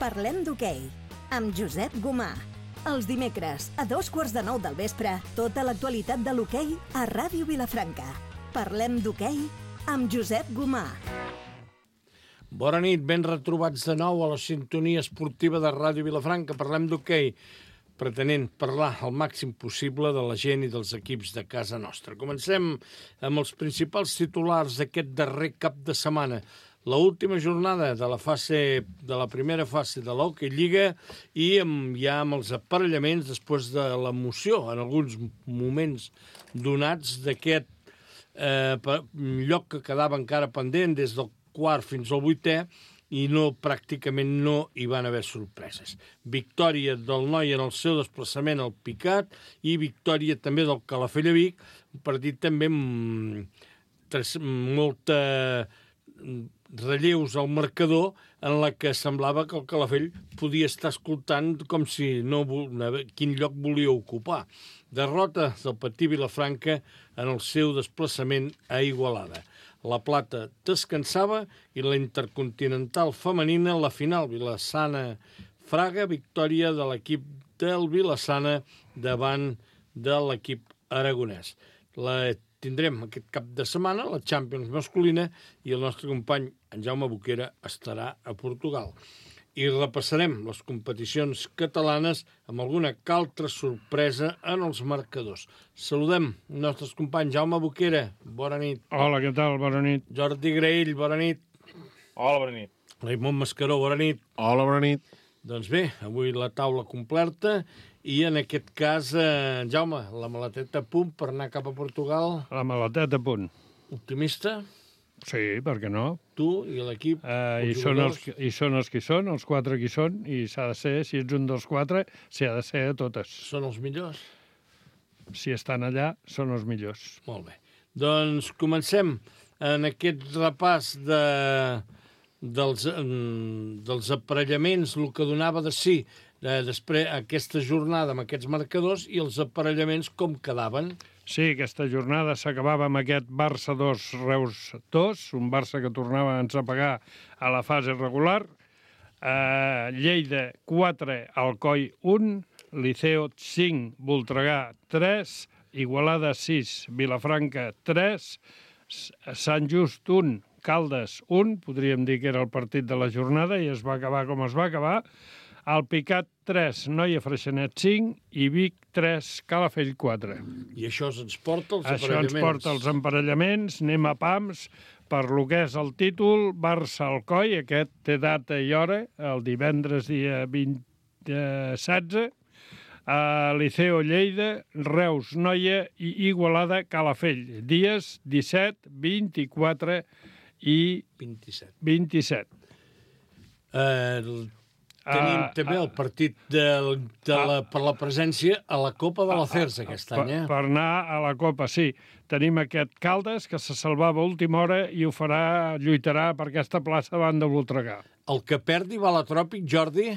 Parlem d'hoquei, amb Josep Gomà. Els dimecres, a 8:45 del vespre, tota l'actualitat de l'hoquei a Ràdio Vilafranca. Parlem d'hoquei amb Josep Gomà. Bona nit, ben retrobats de nou a la sintonia esportiva de Ràdio Vilafranca. Parlem d'hoquei, pretenent parlar el màxim possible de la gent i dels equips de casa nostra. Comencem amb els principals titulars d'aquest darrer cap de setmana. L'última jornada de la primera fase de l'Hockey Lliga i ja amb els aparellaments després de l'emoció en alguns moments donats d'aquest lloc que quedava encara pendent des del quart fins al vuitè i pràcticament no hi van haver sorpreses. Victòria del Noi en el seu desplaçament al Picat i victòria també del Calafell a Vic, un partit també amb molta relleus al marcador en la que semblava que el Calafell podia estar escoltant com si quin lloc volia ocupar. Derrota del Patí Vilafranca en el seu desplaçament a Igualada. La Plata descansava i la Intercontinental femenina, la final Vilassana-Fraga, victòria de l'equip del Vilassana davant de l'equip aragonès. Tindrem aquest cap de setmana la Champions masculina i el nostre company, en Jaume Boquera, estarà a Portugal. I repassarem les competicions catalanes amb alguna altra sorpresa en els marcadors. Saludem els nostres companys. Jaume Boquera, bona nit. Hola, què tal? Bona nit. Jordi Graell, bona nit. Hola, bona nit. Raimon Mascaró, bona nit. Hola, bona nit. Doncs bé, avui la taula completa i en aquest cas, Jaume, la maleteta a punt per anar cap a Portugal. La maleteta a punt. Optimista? Sí, per què no? Tu i l'equip? I són els que són, els quatre que són, i s'ha de ser, si ets un dels quatre, s'ha de ser a totes. Són els millors? Si estan allà, són els millors. Molt bé. Doncs comencem en aquest repàs dels aparellaments, el que donava de si després aquesta jornada amb aquests marcadors i els aparellaments com quedaven. Sí, aquesta jornada s'acabava amb aquest Barça 2, Reus 2, un Barça que tornava a ensapegar a la fase regular. Lleida 4, Alcoi 1, Liceo 5, Voltregà 3, Igualada 6, Vilafranca 3, Sant Just 1, Caldes 1, podríem dir que era el partit de la jornada i es va acabar com es va acabar. El Picat 3, Noia Freixenet 5 i Vic 3, Calafell 4. I això ens porta els aparellaments. Això ens porta els emparellaments, anem a pams, per lo que és el títol, Barça-Alcoi, aquest té data i hora, el divendres dia 16, Liceo Lleida, Reus Noia i Igualada Calafell, dies 17, 24 i 27. Tenim també el partit per la presència a la Copa de la Cersa aquest any. Per anar a la Copa, sí. Tenim aquest Caldes, que se salvava a última hora i lluitarà per aquesta plaça davant de Voltregà. El que perdi va a la Tròpic, Jordi?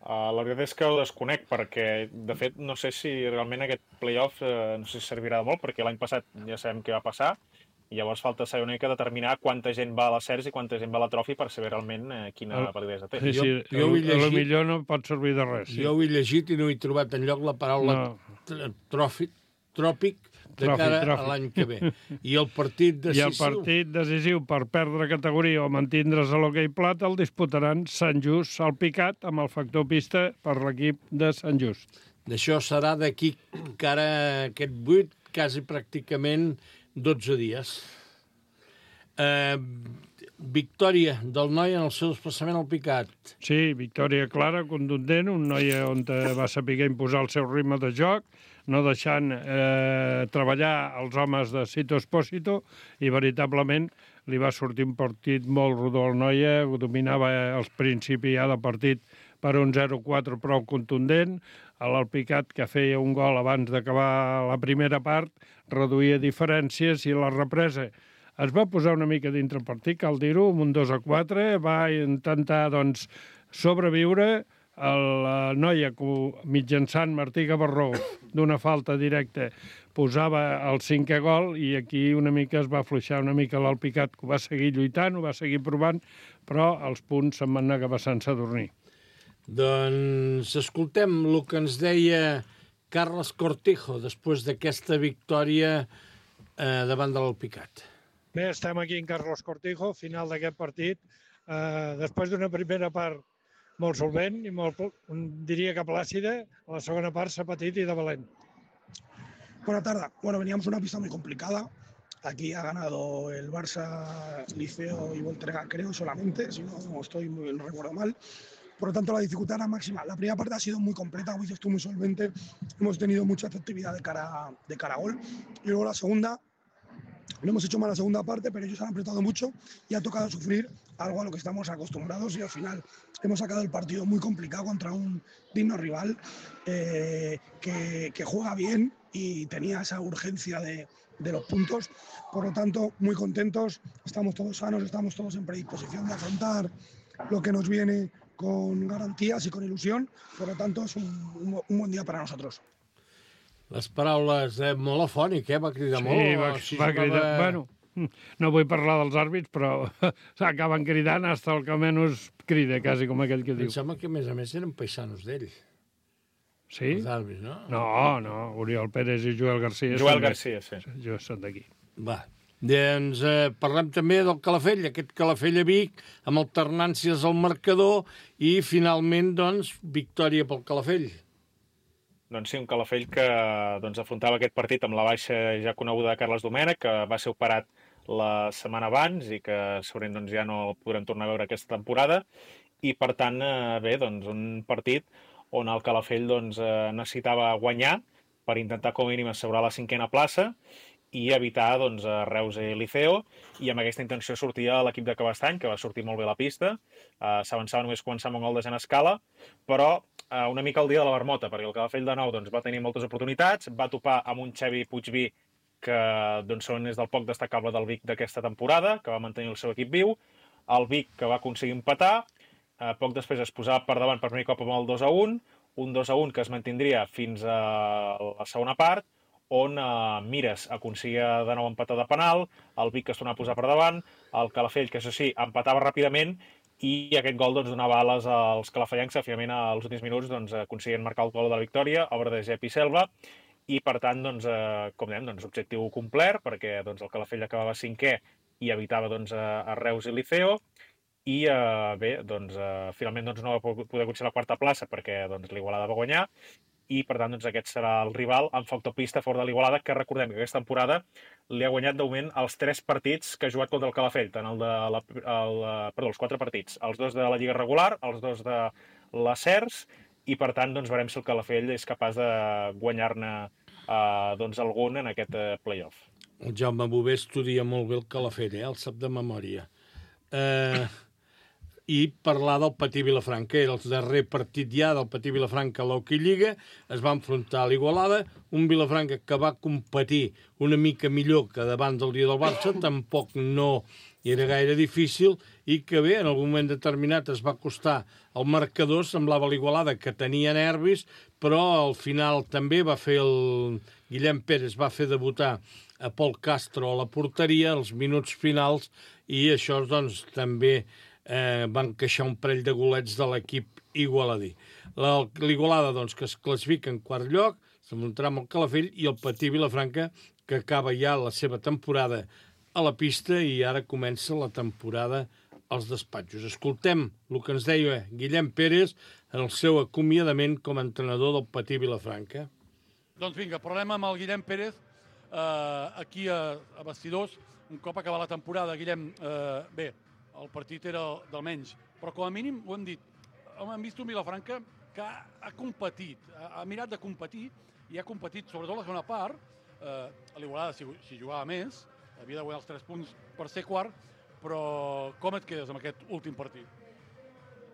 La veritat és que ho desconec, perquè, de fet, no sé si realment aquest play-off no sé si servirà de molt, perquè l'any passat ja sabem què va passar, i llavors falta saber una mica determinar quanta gent va a la Cersa i quanta gent va a la Tròfic per saber realment quina validesa té. Sí, jo potser no pot servir de res. Jo ho he llegit i no he trobat enlloc la paraula tròpic de cara a l'any que ve. I el partit decisiu? I el partit decisiu per perdre categoria o mantindre's a l'hoquei plata el disputaran Sant Just al Picat amb el factor pista per l'equip de Sant Just. D'això serà d'aquí cara aquest 8, quasi pràcticament 12 dies. Victòria del Noi en el seu desplaçament al Picat. Sí, victòria clara, contundent, un Noi on va saber imposar el seu ritme de joc, no deixant treballar els homes de Sito Espósito, i veritablement li va sortir un partit molt rodó al Noia, dominava els principis ja del partit per un 0-4 prou contundent, l'Alpicat, que feia un gol abans d'acabar la primera part, reduïa diferències i la represa es va posar una mica dintre el partit, cal dir-ho, amb un 2-4, va intentar, doncs, sobreviure, la noia, mitjançant Martí Gavarró, d'una falta directa, posava el 5è gol i aquí una mica es va afluixar una mica l'Alpicat, que ho va seguir lluitant, ho va seguir provant, però els punts se'n van anar cap a Sant Sadurní. Doncs escoltem el que ens deia Carles Cortijo després d'aquesta victòria davant de l'Alpicat. Bé, estem aquí en Carlos Cortijo, final d'aquest partit. Després d'una primera part molt solvent i diría que plàcida, la segona part s'ha patit i de valent. Buenas tardes. Bueno, veníamos una pista muy complicada. Aquí ha ganado el Barça, Liceo y Volterra, creo, solamente, si no no recuerdo mal. Por lo tanto, la dificultad era máxima. La primera parte ha sido muy completa, como dices tú, muy solvente. Hemos tenido mucha efectividad de cara a gol. Y luego la segunda, no hemos hecho mal la segunda parte, pero ellos han apretado mucho y ha tocado sufrir algo a lo que estamos acostumbrados y al final hemos sacado el partido muy complicado contra un digno rival que juega bien y tenía esa urgencia de los puntos. Por lo tanto, muy contentos, estamos todos sanos, estamos todos en predisposición de afrontar lo que nos viene con garantías y con ilusión. Por lo tanto, es un buen día para nosotros. Les paraules molt afònic, va cridar molt. Sí, va cridar. Bueno, no vull parlar dels àrbits, però acaben cridant fins el que menys crida, quasi com aquell que diu. Em sembla que, a més eren paisanos d'ell. Sí? Els àrbits, no? No, Oriol Pérez i Joel Garcia. Joel Garcia, sí. Jo són d'aquí. Va. Doncs parlem també del Calafell, aquest Calafell a Vic, amb alternàncies al marcador i finalment, doncs, victòria pel Calafell. Doncs sí, un Calafell que afrontava aquest partit amb la baixa ja coneguda de Carles Domènech, que va ser operat la setmana abans i que segurament ja no el podrem tornar a veure aquesta temporada. I, per tant, un partit on el Calafell necessitava guanyar per intentar com a mínim assegurar la 5a plaça i evitar Reus i Liceo, i amb aquesta intenció sortia l'equip de Cabestany, que va sortir molt bé a la pista. S'avançava només començar amb un gol de Jan Escala, però una mica el dia de la marmota, perquè el Calafell de nou va tenir moltes oportunitats, va topar amb un Xavi Puigví que és del poc destacable del Vic d'aquesta temporada, que va mantenir el seu equip viu, el Vic que va aconseguir empatar, poc després es posava per davant per primer cop amb el 2-1, un 2-1 que es mantindria fins a la segona part, on Mires aconseguia de nou empatar de penal, el Vic que es tornava a posar per davant, el Calafell, que això sí, empatava ràpidament, i aquest gol donava ales als calafellencs, que finalment als últims minuts aconseguien marcar el gol de la victòria, obra de Jep i Selva, i per tant, com dèiem, objectiu complert, perquè el Calafell acabava 5è i evitava a Reus i Liceo, i finalment no va poder aconseguir la 4a plaça perquè l'Igualada va guanyar, i per tant aquest serà el rival amb factopista fora de l'Igualada, que recordem que aquesta temporada li ha guanyat de moment els 3 partits que ha jugat contra el Calafell, tant els 4 partits, els 2 de la Lliga regular, els 2 de la CERS, i per tant veurem si el Calafell és capaç de guanyar-ne algun en aquest play-off. El Jaume Bové estudia molt bé el Calafell, el sap de memòria. I parlar del Patí Vilafranca. Era el darrer partit ja del Patí Vilafranca a l'Hockey Lliga. Es va enfrontar a l'Igualada, un Vilafranca que va competir una mica millor que davant del dia del Barça, tampoc no era gaire difícil, i que bé, en algun moment determinat es va acostar el marcador, semblava l'Igualada que tenia nervis, però al final també va fer el Guillem Pérez, va fer debutar a Pol Castro a la porteria als minuts finals, i això també van queixar un parell de golets de l'equip igualadí. L'Igualada, que es classifica en 4è lloc, s'enfrontarà amb el Calafell, i el Patí Vilafranca, que acaba ja la seva temporada a la pista i ara comença la temporada als despatxos. Escoltem el que ens deia Guillem Pérez en el seu acomiadament com a entrenador del Patí Vilafranca. Doncs vinga, parlem amb el Guillem Pérez aquí a Bastidors, un cop acabar la temporada. Guillem, bé, el partit era del menys, però com a mínim ho hem dit, hem vist un Vilafranca que ha competit, ha mirat de competir i ha competit, sobretot la segona part. A l'Igualada, si jugava més, havia de guanyar els 3 punts per ser quart, però com et quedes amb aquest últim partit?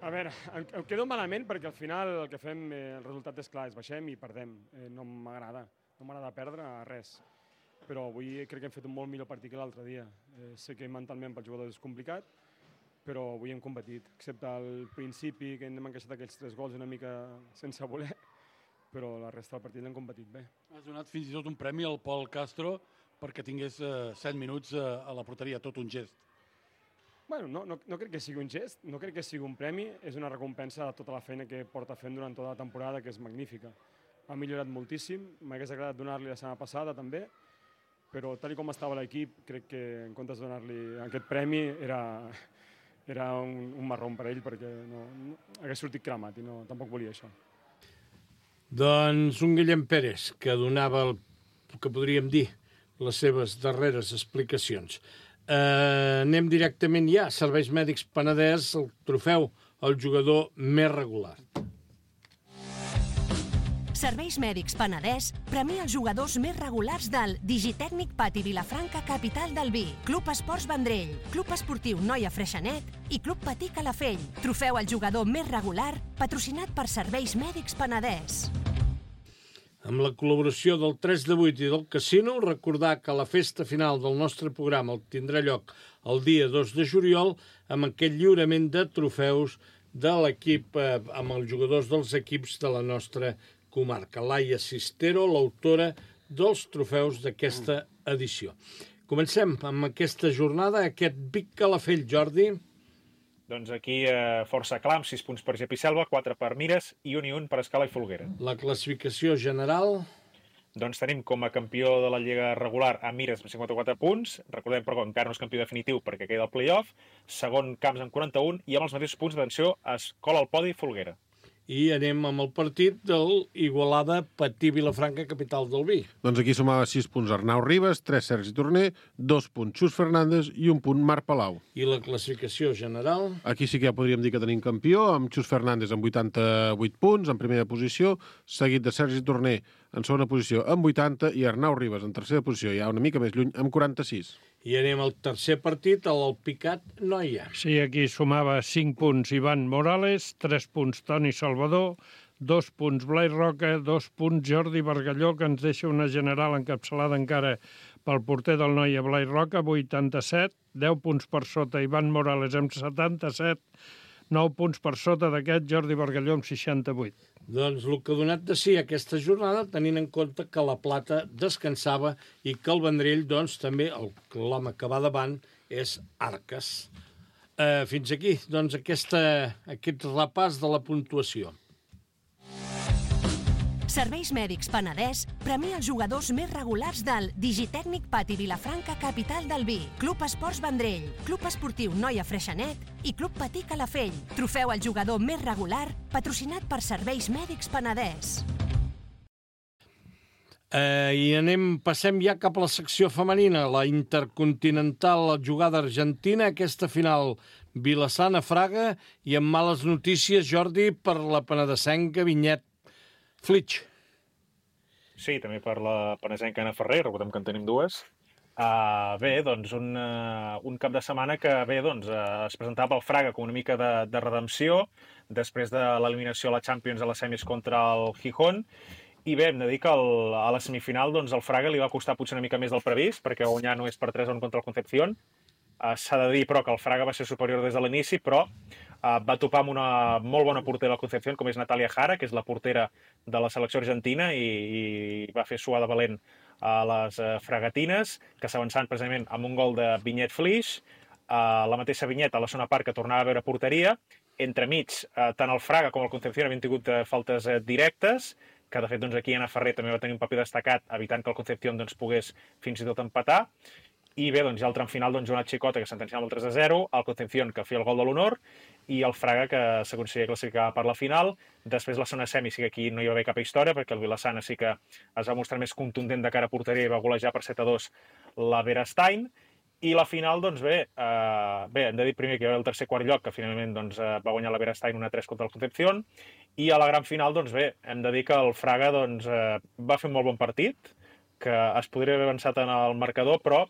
A veure, em quedo malament perquè al final el que fem, el resultat és clar, és baixem i perdem. No m'agrada perdre res. Però avui crec que hem fet un molt millor partit que l'altre dia. Sé que mentalment pel jugador és complicat, però avui hem competit, excepte al principi, que hem encaixat aquells 3 gols una mica sense voler, però la resta del partit l'hem competit bé. Has donat fins i tot un premi al Pol Castro perquè tingués 7 minuts a la porteria, tot un gest. Bueno, no crec que sigui un gest, no crec que sigui un premi, és una recompensa de tota la feina que porta fent durant tota la temporada, que és magnífica. Ha millorat moltíssim, m'hagués agradat donar-li la setmana passada també, però tal com estava l'equip, crec que en comptes de donar-li aquest premi era un marrón per ell, perquè no hagués sortit cremat i tampoc volia això. Doncs un Guillem Pérez, que donava el que podríem dir les seves darreres explicacions. Anem directament ja a Serveis Mèdics Penedès, el trofeu al jugador més regular. Serveis Mèdics Penedès premia els jugadors més regulars del Digitècnic Pati Vilafranca, capital del vi, Club Esports Vendrell, Club Esportiu Noia Freixenet i Club Patí Calafell. Trofeu al jugador més regular, patrocinat per Serveis Mèdics Penedès. Amb la col·laboració del 3 de 8 i del Casino, recordar que la festa final del nostre programa tindrà lloc el dia 2 de juliol amb aquest lliurament de trofeus de l'equip, amb els jugadors dels equips de la nostra comarca. Laia Sistero, l'autora dels trofeus d'aquesta edició. Comencem amb aquesta jornada, aquest Vic Calafell, Jordi. Doncs aquí força clar, amb 6 punts per Gep i Selva, 4 per Mires i 1 per Escala i Folguera. La classificació general... Doncs tenim com a campió de la Lliga regular a Mires amb 54 punts. Recordem, però, que encara no és campió definitiu perquè queda el play-off. Segon, Camps amb 41 i amb els mateixos punts d'atenció es cola al podi Folguera. I anem amb el partit del Igualada Patí Vilafranca, capital del vi. Doncs aquí sumava 6 punts Arnau Ribas, 3 Sergi Torner, 2 punts Xus Fernández i 1 punt Marc Palau. I la classificació general? Aquí sí que ja podríem dir que tenim campió, amb Xus Fernández amb 88 punts, en primera posició, seguit de Sergi Torner en segona posició amb 80 i Arnau Ribas en tercera posició, ja una mica més lluny, amb 46. I anem al tercer partit, l'Alpicat Noia. Sí, aquí sumava 5 punts Ivan Morales, 3 punts Toni Salvador, 2 punts Blai Roca, 2 punts Jordi Bargalló, que ens deixa una general encapçalada encara pel porter del Noia Blai Roca, 87, 10 punts per sota Ivan Morales amb 77, 9 punts per sota d'aquest Jordi Bargalló amb 68. Doncs el que ha donat de si aquesta jornada, tenint en compte que la Plata descansava i que el Vendrell, doncs, també, l'home que va davant, és Arques. Fins aquí, doncs, aquest repàs de la puntuació. Serveis Mèdics Penedès premia els jugadors més regulars del Digitècnic Pati Vilafranca, capital del vi, Club Esports Vendrell, Club Esportiu Noia Freixenet i Club Patí Calafell. Trofeu al jugador més regular, patrocinat per Serveis Mèdics Penedès. Passem ja cap a la secció femenina, la Intercontinental, la jugada argentina, aquesta final Vilassana-Fraga i amb males notícies, Jordi, per la penedesenca Vinyet Flitx. Sí, també per la penedesenca Anna Ferrer, recordem que en tenim dues. Bé, doncs un cap de setmana que es presentava el Fraga com una mica de redempció després de l'eliminació a la Champions a les semis contra el Gijón. I bé, hem de dir que a la semifinal el Fraga li va costar potser una mica més del previst, perquè guanyar no és per 3-1 contra el Concepción. S'ha de dir, però, que el Fraga va ser superior des de l'inici, però va topar amb una molt bona portera del Concepción, com és Natalia Jara, que és la portera de la selecció argentina, i va fer suar de valent a les fragatines, que s'avançaven precisament amb un gol de Vinyet Flix. La mateixa Vinyet a la segona part que tornava a veure porteria. Entremig, tant el Fraga com el Concepción havien tingut faltes directes, que de fet aquí Anna Ferrer també va tenir un paper destacat, evitant que el Concepción pogués fins i tot empatar. I bé, ja al tram final, Joanat Xicota, que sentenciava el 3-0, el Concepción, que feia el gol de l'honor, i el Fraga, que s'aconseguia classificar per la final. Després, la segona semi, sí que aquí no hi va haver cap història, perquè el Vilassana sí que es va mostrar més contundent de cara a porteria i va golejar per 7-2 la Berestein. I la final, hem de dir primer que hi va haver el tercer quart lloc, que finalment va guanyar la Berestein 1-3 contra el Concepción. I a la gran final, hem de dir que el Fraga va fer un molt bon partit, que es podria haver avançat en el marcador, però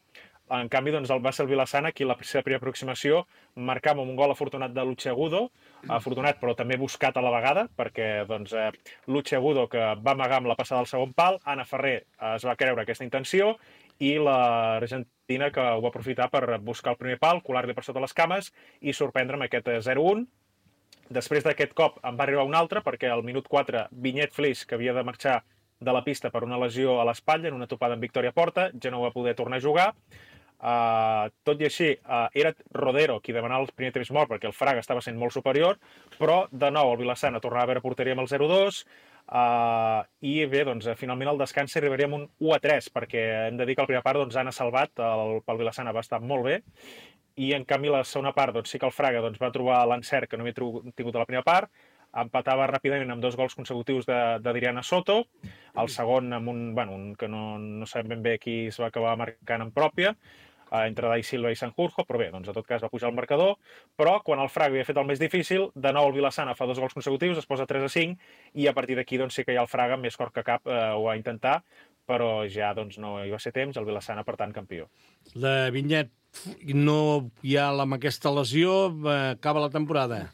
en canvi va ser el Vilassana qui la seva primera aproximació marcava amb un gol afortunat de Lucheagudo, afortunat però també buscat a la vegada, perquè Lucheagudo, que va amagar amb la passada al segon pal, Anna Ferrer es va creure aquesta intenció i l'Argentina que ho va aprofitar per buscar el primer pal, colar-li per sota les cames i sorprendre amb aquest 0-1. Després d'aquest cop en va arribar un altre, perquè al minut 4 Vinyet Flis, que havia de marxar de la pista per una lesió a l'espatlla en una topada amb Victòria Porta, ja no va poder tornar a jugar. Tot i així, era Rodero qui demanava el primer temps mort perquè el Fraga estava sent molt superior, però de nou el Vila-sana tornava a veure porteria amb el 0-2, i bé, doncs, finalment al descans arribaríem un 1-3, perquè hem de dir que la primera part Anna Salvat pel Vila-sana va estar molt bé, i en canvi la segona part sí que el Fraga va trobar l'encert que no havia tingut a la primera part, empatava ràpidament amb 2 gols consecutius d'Adriana Soto, el segon amb un que no sabem ben bé qui es va acabar marcant en pròpia, entre Dai Silva i Sanjurjo, però bé, doncs en tot cas va pujar el marcador, però quan el Fraga havia fet el més difícil, de nou el Vila-sana fa 2 gols consecutius, es posa 3-5, i a partir d'aquí sí que hi ha el Fraga més cor que cap ho va intentar, però ja no hi va ser temps, el Vila-sana, per tant, campió. La Vinyet, no hi ha amb aquesta lesió, acaba la temporada.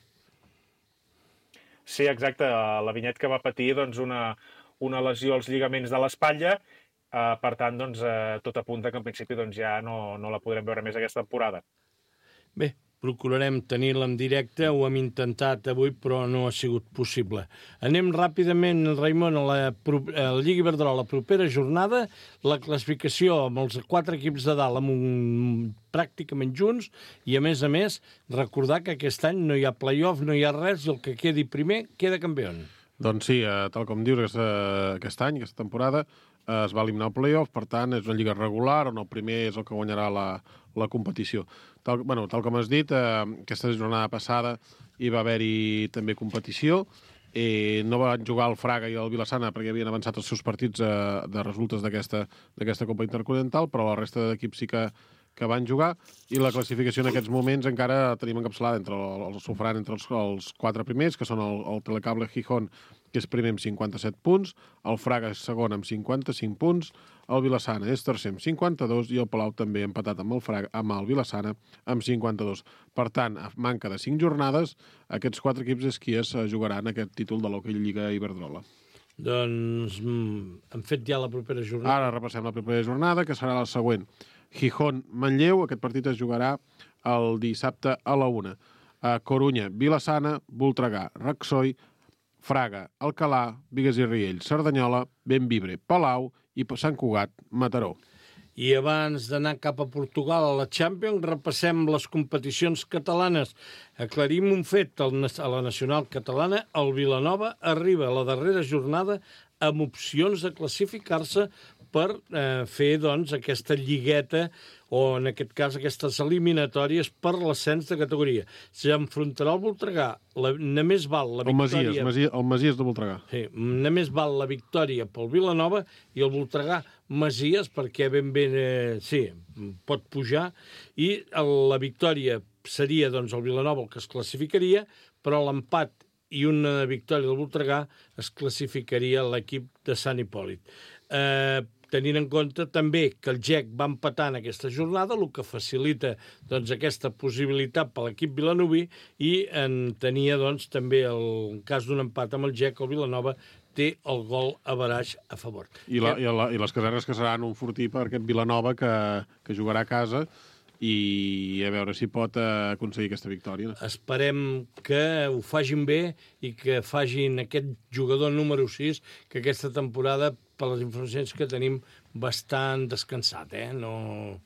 Sí, exacte. La Vinyet que va patir una lesió als lligaments de l'espatlla, per tant, tot apunta que en principi ja no la podrem veure més aquesta temporada. Bé, procurarem tenir-la en directe, ho hem intentat avui, però no ha sigut possible. Anem ràpidament, Raimon, a la Lliga Iberdrola, la propera jornada, la classificació amb els 4 equips de dalt pràcticament junts, i a més, recordar que aquest any no hi ha play-off, no hi ha res, i el que quedi primer queda campió. Doncs sí, tal com dius, aquest any, aquesta temporada, es va eliminar el play-off, per tant, és una lliga regular on el primer és el que guanyarà la competició. Tal com has dit, aquesta jornada passada hi va haver-hi també competició. No van jugar el Fraga i el Vila-sana perquè havien avançat els seus partits de resultes d'aquesta Copa Intercontinental, però la resta d'equips sí que van jugar, i la classificació en aquests moments encara tenim encapçalada entre els 4 primers, que són el Telecable Gijón, que és primer amb 57 punts, el Fraga és segon amb 55 punts, el Vila-sana és tercer amb 52 i el Palau també empatat amb el Vila-sana amb 52. Per tant, a manca de 5 jornades, aquests 4 equips és qui es jugaran aquest títol de l'Hockey Lliga Iberdrola. Doncs hem fet ja la propera jornada. Ara repassem la propera jornada, que serà la següent. Gijón-Manlleu, aquest partit es jugarà el dissabte a la 1. Corunya, Vila-sana, Voltregà, Raxoi, Fraga, Alcalà, Bigues i Riells, Cerdanyola, Bembibre, Palau i Sant Cugat, Mataró. I abans d'anar cap a Portugal a la Champions, repassem les competicions catalanes. Aclarim un fet, a la nacional catalana, el Vilanova arriba a la darrera jornada amb opcions de classificar-se per fer aquesta lligueta, o en aquest cas aquestes eliminatòries per l'ascens de categoria. S'enfrontarà el Voltregà, només val la victòria... El Masies de Voltregà. Sí, només val la victòria pel Vilanova i el Voltregà Masies, perquè sí, pot pujar, i la victòria seria el Vilanova el que es classificaria, però l'empat i una victòria del Voltregà es classificaria l'equip de Sant Hipòlit. Tenint en compte també que el GEC va empatar en aquesta jornada, el que facilita aquesta possibilitat per l'equip vilanoví, i tenia també el cas d'un empat amb el GEC, el Vilanova té el gol average a favor. I les casernes que seran un fortí per aquest Vilanova que jugarà a casa, i a veure si pot aconseguir aquesta victòria. Esperem que ho facin bé i que facin aquest jugador número 6, que aquesta temporada, per les informacions que tenim, bastant descansat. No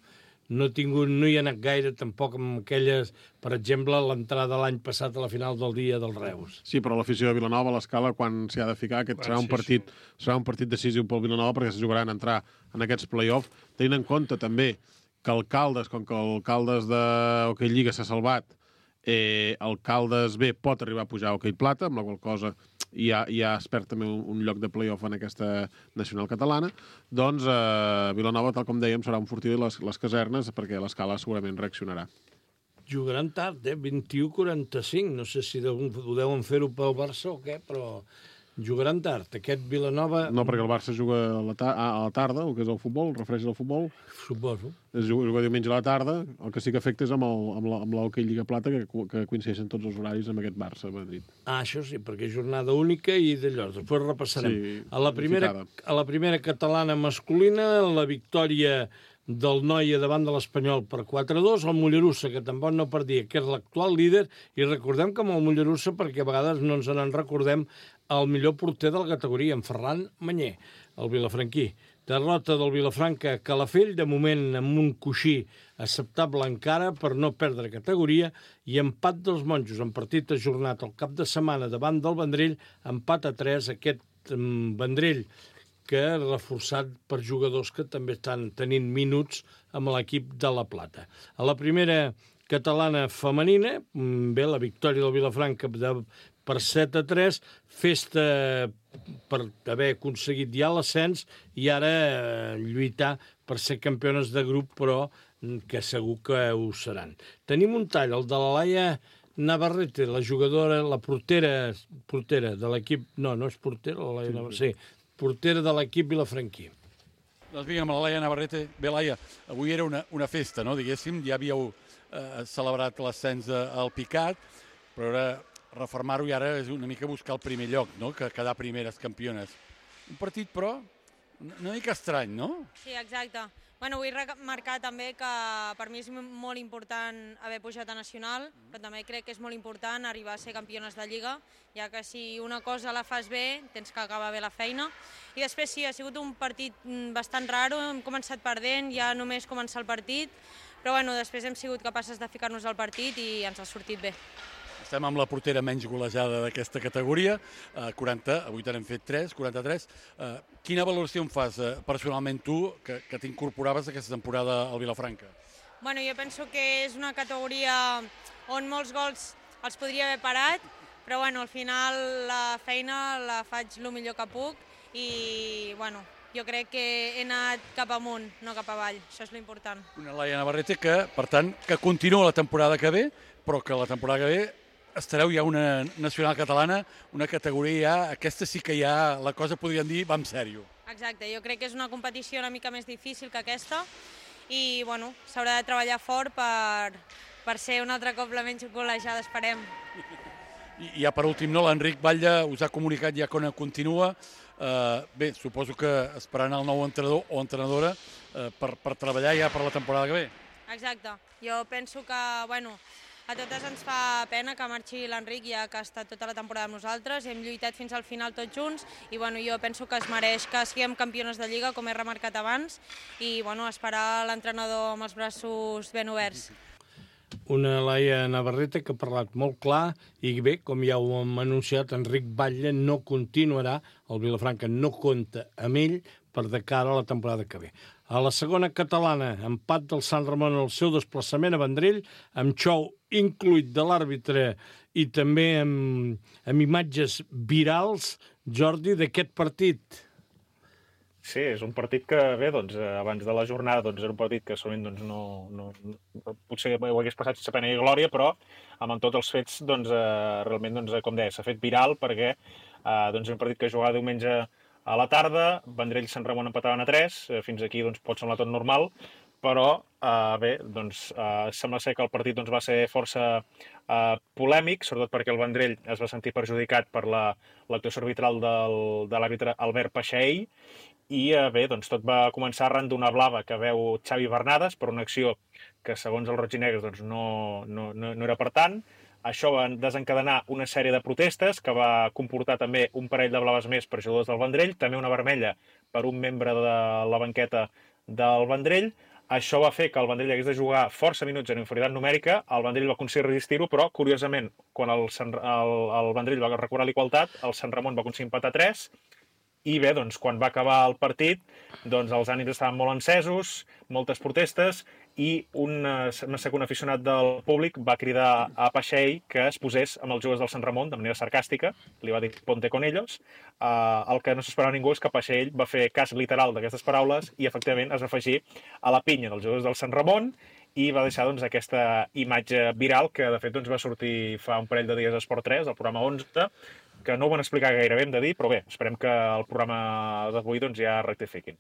hi ha anat gaire, tampoc amb aquelles, per exemple, l'entrada l'any passat a la final del dia del Reus. Sí, però l'afició de Vilanova, a l'escala, quan s'hi ha de ficar, serà un partit decisiu pel Vilanova, perquè se jugaran a entrar en aquests play-off, tenint en compte també que el Caldes, com que el Caldes de Hockey Lliga s'ha salvat, el Caldes B pot arribar a pujar a Hockey Plata, amb la qual cosa ja es perd també un lloc de play-off en aquesta nacional catalana. Doncs Vilanova, tal com dèiem, serà un fortí de les casernes, perquè l'escala segurament reaccionarà. Jugaran tard, 21:45. No sé si ho deuen fer-ho pel Barça o què, però jugaran tard. Aquest Vilanova... No, perquè el Barça juga a la tarda, el que és el futbol, refereix al futbol. Suposo. Es juga diumenge a la tarda, el que sí que afecta és amb l'Hockey Lliga Plata, que coincideixen tots els horaris amb aquest Barça-Madrid. Això sí, perquè és jornada única i d'allò. Després repassarem. Sí, a la primera catalana masculina, la victòria del Noia davant de l'Espanyol per 4-2, el Mollerussa, que tampoc no perdia, que és l'actual líder, i recordem que amb el Mollerussa, perquè a vegades no ens en recordem, el millor porter de la categoria, en Ferran Manyer, el vilafranquí. Derrota del Vilafranca a Calafell, de moment amb un coixí acceptable encara per no perdre categoria, i empat dels monjos en partit ajornat el cap de setmana davant del Vendrell, empat a 3, aquest Vendrell que és reforçat per jugadors que també estan tenint minuts amb l'equip de La Plata. A la primera catalana femenina, bé, la victòria del Vilafranca per 7-3, festa per haver aconseguit ja l'ascens i ara lluitar per ser campiones de grup, però que segur que ho seran. Tenim un tall, el de la Laia Navarrete, la jugadora, la portera de l'equip... No és portera, la Laia Navarrete, sí, portera de l'equip vilafranquí. Doncs vinga, amb la Laia Navarrete. Bé, Laia, avui era una festa, no?, diguéssim, ja havíeu celebrat l'ascens al Picat, però ara reformar-ho i ara és una mica buscar el primer lloc, no?, que quedar primeres campiones. Un partit, però, una mica estrany, no? Sí, exacte. Bueno, vull remarcar també que per mi és molt important haver pujat a Nacional, però també crec que és molt important arribar a ser campiones de Lliga, ja que si una cosa la fas bé, tens que acabar bé la feina. I després sí, ha sigut un partit bastant raro, hem començat perdent, ja només començar el partit, però bueno, després hem sigut capaces de ficar-nos al partit i ens ha sortit bé. Estem amb la portera menys golejada d'aquesta categoria, 40, avui t'hem fet 3, 43. Quina valoració em fas personalment tu, que t'incorporaves aquesta temporada al Vilafranca? Bueno, jo penso que és una categoria on molts gols els podria haver parat, però bueno, al final la feina la faig el millor que puc i bueno, jo crec que he anat cap amunt, no cap avall, això és l'important. Una Laia Navarrete que, per tant, que continua la temporada que ve, però que la temporada que ve estareu ja una nacional catalana, una categoria ja, aquesta sí que ja la cosa podríem dir va en sèrio. Exacte, jo crec que és una competició una mica més difícil que aquesta i bueno, s'haurà de treballar fort per ser un altre cop la menys golejada, esperem. I ja per últim, no, l'Enric Batlle us ha comunicat ja quan continua. Bé, suposo que esperant el nou entrenador o entrenadora per treballar ja per la temporada que ve. Exacte, jo penso que, bueno, a totes ens fa pena que marxi l'Enric, ja que ha estat tota la temporada amb nosaltres, hem lluitat fins al final tots junts i bueno, jo penso que es mereix que siguem campiones de Lliga, com he remarcat abans, i bueno, esperar l'entrenador amb els braços ben oberts. Una Laia Navarrete que ha parlat molt clar i bé, com ja ho hem anunciat, Enric Batlle no continuarà, el Vilafranca no compta amb ell per de cara a la temporada que ve. A la segona catalana, empat del Sant Ramon al seu desplaçament a Vendrell, amb xou incluït de l'àrbitre i també amb imatges virals, Jordi, d'aquest partit. Sí, és un partit que, bé, doncs, abans de la jornada doncs, era un partit que solament doncs, potser ho hagués passat sense pena i glòria, però amb tots els fets, doncs, realment, doncs, com deia, s'ha fet viral perquè doncs, és un partit que jugava diumenge a la tarda, Vendrell i Sant Ramon empataven a 3, fins aquí doncs, pot semblar tot normal, però bé, doncs, sembla ser que el partit doncs, va ser força polèmic, sobretot perquè el Vendrell es va sentir perjudicat per l'actuació arbitral de l'àrbitre Albert Paixaell, i bé, doncs, tot va començar arran d'una blava que veu Xavi Bernades per una acció que, segons els roig i negres, doncs, no era per tant. Això va desencadenar una sèrie de protestes que va comportar també un parell de blaves més per jugadors del Vendrell, també una vermella per un membre de la banqueta del Vendrell. Això va fer que el Vendrell hagués de jugar força minuts en inferioritat numèrica. El Vendrell va aconseguir resistir-ho, però, curiosament, quan el Vendrell va recuperar l'igualtat, el Sant Ramon va aconseguir empatar 3, i bé, doncs, quan va acabar el partit, doncs, els ànims estaven molt encesos, moltes protestes, i un segon aficionat del públic va cridar a Paixaell que es posés amb els jugadors del Sant Ramon de manera sarcàstica, li va dir ponte con ellos. El que no s'esperava ningú és que Paixaell va fer cas literal d'aquestes paraules i efectivament es va afegir a la pinya dels jugadors del Sant Ramon i va deixar doncs, aquesta imatge viral que de fet doncs, va sortir fa un parell de dies a Esport 3, al programa 11, que no ho van explicar gairebé, hem de dir, però bé, esperem que el programa d'avui doncs, ja rectifiquin.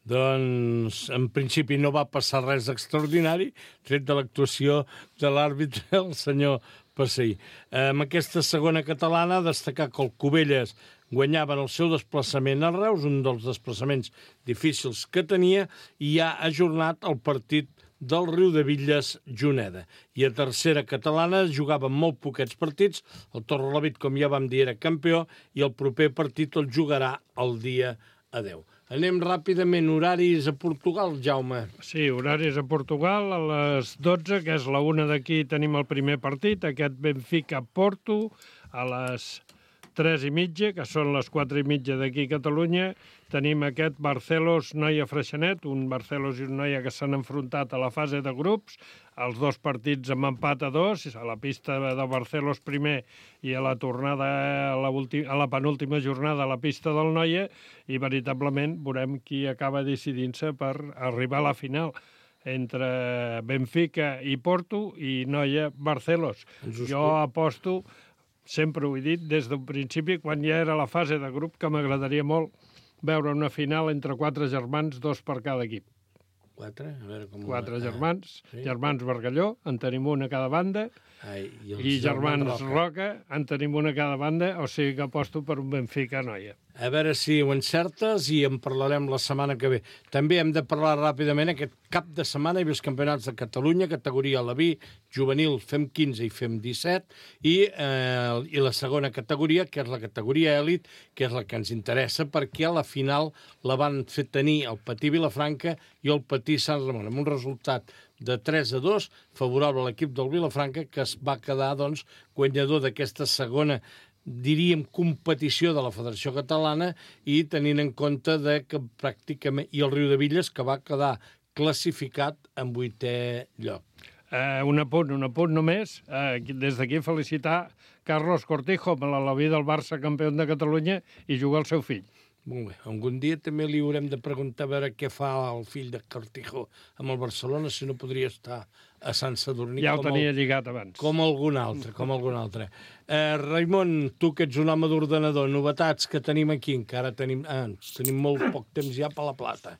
Doncs, en principi, no va passar res extraordinari, tret de l'actuació de l'àrbitre, el senyor seguir. Amb aquesta segona catalana, destacar que el Cubelles guanyaven el seu desplaçament a Reus, un dels desplaçaments difícils que tenia, i ha ajornat el partit del Riudebitlles-Juneda. I a tercera catalana jugaven molt poquets partits, el Torrelavit, com ja vam dir, era campió, i el proper partit el jugarà el dia a 10. Anem ràpidament, horaris a Portugal, Jaume. Sí, horaris a Portugal, a les 12, que és la 1 d'aquí, tenim el primer partit, aquest Benfica-Porto, a les 3:30, que són les 4:30 d'aquí a Catalunya, tenim aquest Barcelos-Noia-Freixenet, un Barcelos i un Noia que s'han enfrontat a la fase de grups, els dos partits amb empat a 2, a la pista de Barcelos primer i a la tornada a la penúltima jornada a la pista del Noia, i veritablement veurem qui acaba decidint-se per arribar a la final entre Benfica i Porto i Noia-Barcelos. Jo aposto, sempre ho he dit, des d'un principi, quan ja era la fase de grup, que m'agradaria molt veure una final entre 4 germans, 2 per cada equip. 4? A veure com... 4 germans, sí? Germans Bargalló, en tenim una a cada banda, i germans Roca, en tenim una a cada banda, o sigui que aposto per un Benfica-Noia. A veure si ho encertes i en parlarem la setmana que ve. També hem de parlar ràpidament aquest cap de setmana, hi ha els campionats de Catalunya, categoria Leví, juvenil, fem 15 i fem 17, i la segona categoria, que és la categoria èlit, que és la que ens interessa, perquè a la final la van fer tenir el Patí Vilafranca i el Patí Sant Ramon, amb un resultat de 3-2, favorable a l'equip del Vilafranca, que es va quedar, doncs, guanyador d'aquesta segona, diríem, competició de la Federació Catalana, i tenint en compte que pràcticament... I el Riudebitlles, que va quedar classificat en 8è lloc. Un apunt només. Des d'aquí felicitar Carlos Cortijo, amb l'Aleví del Barça, campió de Catalunya, i jugar el seu fill. Molt bé. Algun dia també li haurem de preguntar a veure què fa el fill de Cortijo amb el Barcelona, si no podria estar a Sant Sadurní. Ja ho tenia lligat abans. Com algun altre. Raimon, tu que ets un home d'ordenador, novetats que tenim aquí, encara tenim molt poc temps ja per la plata.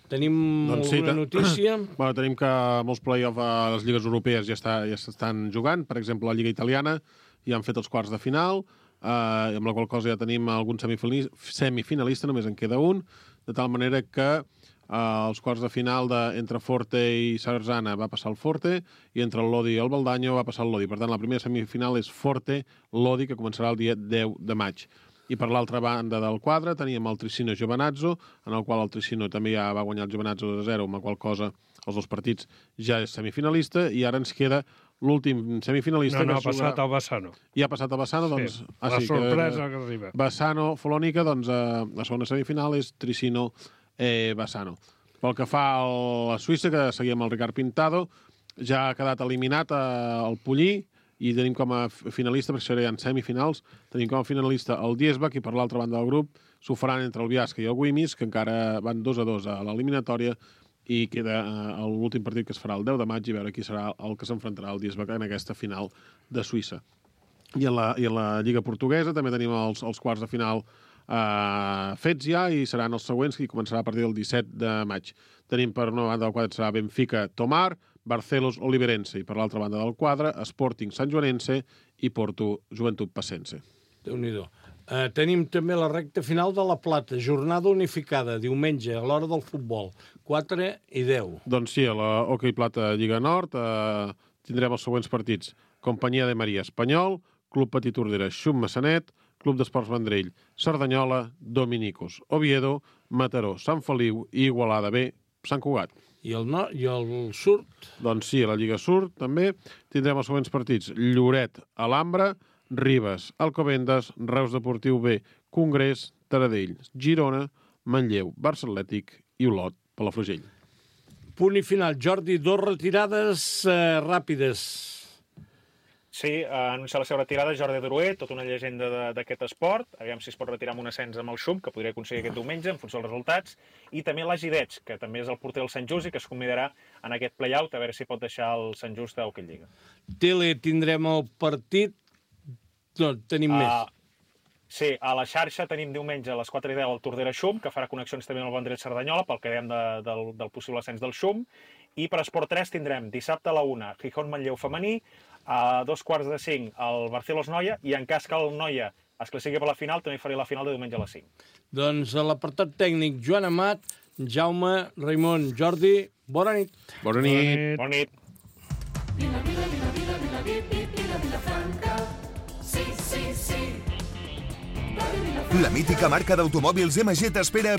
Tenim alguna notícia? Bueno, tenim que molts play-off a les lligues europees ja s'estan jugant. Per exemple, la Lliga Italiana ja han fet els quarts de final, amb la qual cosa ja tenim algun semifinalista, només en queda un, de tal manera que els quarts de final entre Forte i Sarzana va passar el Forte, i entre el Lodi i el Baldaño va passar el Lodi. Per tant, la primera semifinal és Forte-Lodi, que començarà el dia 10 de maig. I per l'altra banda del quadre teníem el Tricino Giovinazzo, en el qual el Tricino també ja va guanyar el Giovinazzo 2-0, amb la qual cosa els dos partits ja és semifinalista, i ara ens queda l'últim semifinalista... No, ha passat el Bassano. Ja ha passat el Bassano, doncs... Sí, la sorpresa que arriba. Bassano-Folònica, doncs la segona semifinal és Tricino-Bassano. Pel que fa a la Suïssa, que seguíem el Ricard Pintado, ja ha quedat eliminat el Pollí, i tenim com a finalista, perquè això ja en semifinals, tenim com a finalista el Diesbach, i per l'altra banda del grup s'ho faran entre el Biasca i el Guimis, que encara van 2-2 a l'eliminatòria, i queda l'últim partit, que es farà el 10 de maig, i veure qui serà el que s'enfrontarà al Diesbach en aquesta final de Suïssa. I en la Lliga Portuguesa també tenim els quarts de final fets ja, i seran els següents, que començarà a partir del 17 de maig. Tenim per una banda del quadre serà Benfica-Tomar, Barcelos-Oliverense, i per l'altra banda del quadre Sporting-Sant Joanense i Porto-Joventut-Passense. Déu-n'hi-do. Tenim també la recta final de la Plata, jornada unificada, diumenge, a l'hora del futbol, 4 i 10. Doncs sí, a la Hockey Plata Lliga Nord tindrem els següents partits. Companyia de Maria Espanyol, Club Petit Tordera Xum Massanet, Club d'Esports Vendrell Cerdanyola, Dominicos Oviedo, Mataró Sant Feliu i Igualada B Sant Cugat. I el Surt? Doncs sí, a la Lliga Surt també tindrem els següents partits. Lloret, Alhambra, Ribes, Alcobendas, Reus Deportiu B, Congrés, Taradell, Girona, Manlleu, Barça Atlètic i Olot, Palafrugell. Punt i final. Jordi, 2 retirades ràpides. Sí, anunciar la seva retirada Jordi Durué, tota una llegenda d'aquest esport. Aviam si es pot retirar amb un ascens amb el Xum, que podria aconseguir aquest diumenge, en funció dels resultats. I també l'Agi Dets, que també és el porter del Sant Just i que es convidarà en aquest play-out, a veure si pot deixar el Sant Just a Hockey Lliga. Tele, tindrem el partit. No, tenim més. Sí, a la xarxa tenim diumenge a les 4:10 el Tordera Xum, que farà connexions també amb el Vendrell Cerdanyola, pel que dèiem del possible ascens del Xum. I per Esport 3 tindrem dissabte a la 1 Gijón-Manlleu femení, a 2:45 el Barcelos-Noia, i en cas que el Noia es classifiqui per la final, també faré la final de diumenge a les 5. Doncs a l'apartat tècnic, Joan Amat, Jaume, Raimon, Jordi, bona nit. Bona nit. Bona nit. La mítica marca d'automòbils MG t'espera